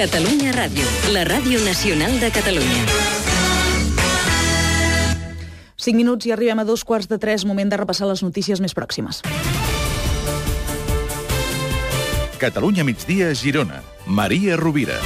Catalunya Ràdio, la ràdio nacional de Catalunya. 5 minuts i arribem a 2:45, moment de repassar les notícies més pròximes. Catalunya migdia, Girona. Maria Rovira.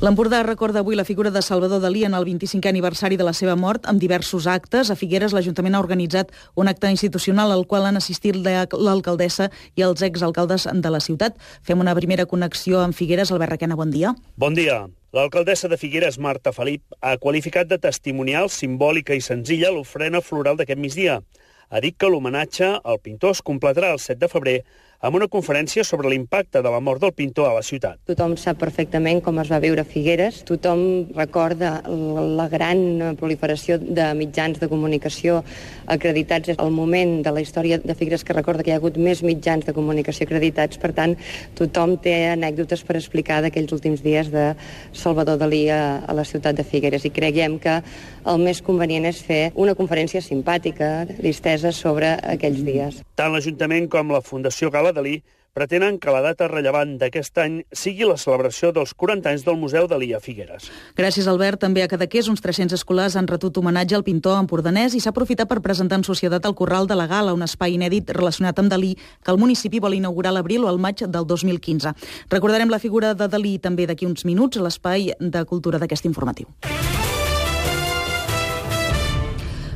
L'Empordà recorda avui la figura de Salvador Dalí en el 25è aniversari de la seva mort amb diversos actes. A Figueres, l'Ajuntament ha organitzat un acte institucional al qual han assistit l'alcaldessa i els exalcaldes de la ciutat. Fem una primera connexió amb Figueres. Albert Requena, bon dia. Bon dia. L'alcaldessa de Figueres, Marta Felip, ha qualificat de testimonial, simbòlica i senzilla l'ofrena floral d'aquest migdia. Ha dit que l'homenatge al pintor es completarà el 7 de febrer amb una conferència sobre l'impacte de la mort del pintor a la ciutat. Tothom sap perfectament com es va viure a Figueres, tothom recorda la gran proliferació de mitjans de comunicació acreditats. És el moment de la història de Figueres que recorda que hi ha hagut més mitjans de comunicació acreditats, per tant, tothom té anècdotes per explicar d'aquells últims dies de Salvador Dalí a la ciutat de Figueres, i creiem que el més convenient és fer una conferència simpàtica, distesa sobre aquells dies. Tant l'Ajuntament com la Fundació Gala Dalí pretenen que la data rellevant d'aquest any sigui la celebració dels 40 anys del Museu Dalí a Figueres. Gràcies, Albert. També a Cadaqués, uns 300 escolars han retut homenatge al pintor empordanès i s'ha aprofitat per presentar en societat el Corral de la Gala, un espai inèdit relacionat amb Dalí que el municipi vol inaugurar a l'abril o al maig del 2015. Recordarem la figura de Dalí també d'aquí uns minuts a l'espai de cultura d'aquest informatiu.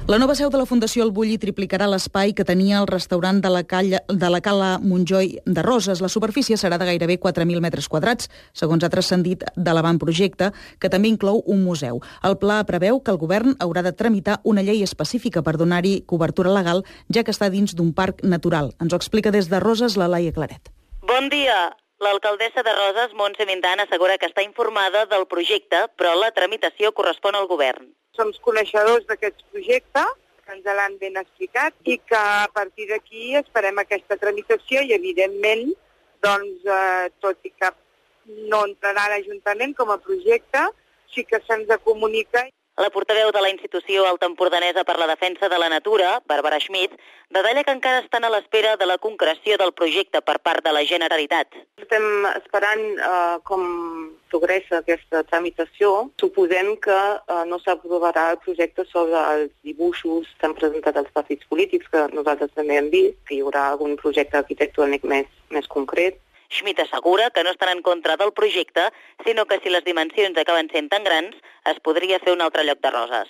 La nova seu de la Fundació El Bulli triplicarà l'espai que tenia el restaurant de la Cala Montjoi de Roses. La superfície serà de gairebé 4.000 metres quadrats, segons ha transcendit de l'avantprojecte, que també inclou un museu. El pla preveu que el govern haurà de tramitar una llei específica per donar-hi cobertura legal, ja que està dins d'un parc natural. Ens ho explica des de Roses la Laia Claret. Bon dia. L'alcaldessa de Roses, Montse Mindan, assegura que està informada del projecte, però la tramitació correspon al govern. Som coneixedors d'aquest projecte, que ens l'han ben explicat, i que a partir d'aquí esperem aquesta tramitació i, evidentment, doncs, tot i que no entrarà a l'Ajuntament com a projecte, sí que se'ns comunica. La portaveu de la institució altaempordanesa per la defensa de la natura, Bàrbara Schmidt, detalla que encara estan a l'espera de la concreció del projecte per part de la Generalitat. Estem esperant com progressa aquesta tramitació. Suposem que no s'aprovarà el projecte sobre els dibuixos que han presentat els partits polítics, que nosaltres també hem vist, que hi haurà algun projecte arquitectònic més concret. Schmidt assegura que no estan en contra del projecte, sinó que si les dimensions acaben sent tan grans, es podria fer un altre lloc de Roses.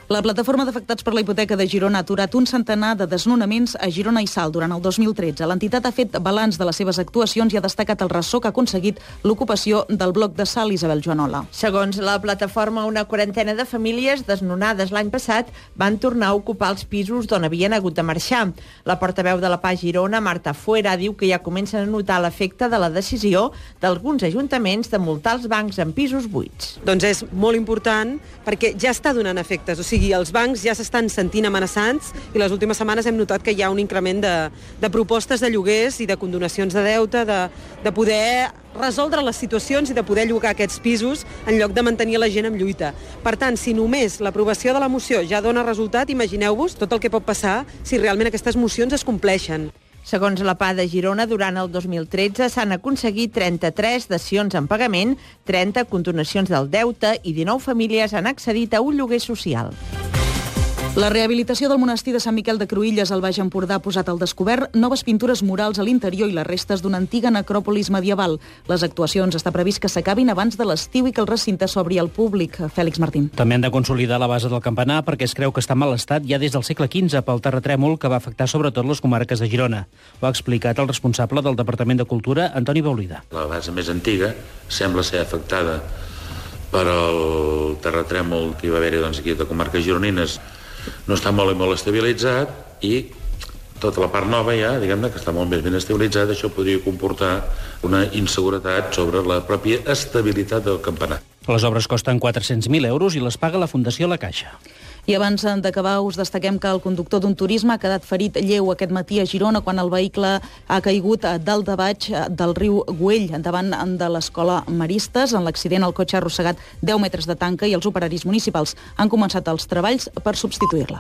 La plataforma d'afectats per la hipoteca de Girona ha aturat un centenar de desnonaments a Girona i Salt durant el 2013. L'entitat ha fet balanç de les seves actuacions i ha destacat el ressò que ha aconseguit l'ocupació del bloc de Salt. Isabel Joanola. Segons la plataforma, una quarantena de famílies desnonades l'any passat van tornar a ocupar els pisos d'on havien hagut de marxar. La portaveu de la PA Girona, Marta Fuera, diu que ja comencen a notar l'efecte de la decisió d'alguns ajuntaments de multar els bancs en pisos buits. Doncs és molt important perquè ja està donant efectes, o sigui, els bancs ja s'estan sentint amenaçats i les últimes setmanes hem notat que hi ha un increment de propostes de lloguers i de condonacions de deute, de poder resoldre les situacions i de poder llogar aquests pisos en lloc de mantenir la gent en lluita. Per tant, si només l'aprovació de la moció ja dona resultat, imagineu-vos tot el que pot passar si realment aquestes mocions es compleixen. Segons la PA de Girona, durant el 2013 s'han aconseguit 33 dacions en pagament, 30 condonacions del deute i 19 famílies han accedit a un lloguer social. La rehabilitació del monestir de Sant Miquel de Cruïlles al Baix Empordà ha posat al descobert noves pintures murals a l'interior i les restes d'una antiga necròpolis medieval. Les actuacions està previst que s'acabin abans de l'estiu i que el recinte s'obri al públic. Fèlix Martín. També han de consolidar la base del campanar perquè es creu que està en mal estat ja des del segle XV pel terratrèmol que va afectar sobretot les comarques de Girona. Ho ha explicat el responsable del Departament de Cultura, Antoni Baulida. La base més antiga sembla ser afectada per el terratrèmol que hi va haver aquí a comarques gironines. No està molt i molt estabilitzat i tota la part nova ja, diguem-ne, que està molt més ben estabilitzada, això podria comportar una inseguretat sobre la pròpia estabilitat del campanar. Les obres costen 400.000 euros i les paga la Fundació La Caixa. I abans d'acabar us destaquem que el conductor d'un turisme ha quedat ferit lleu aquest matí a Girona quan el vehicle ha caigut dalt de baix del riu Güell davant de l'escola Maristes. En l'accident el cotxe ha arrossegat 10 metres de tanca i els operaris municipals han començat els treballs per substituir-la.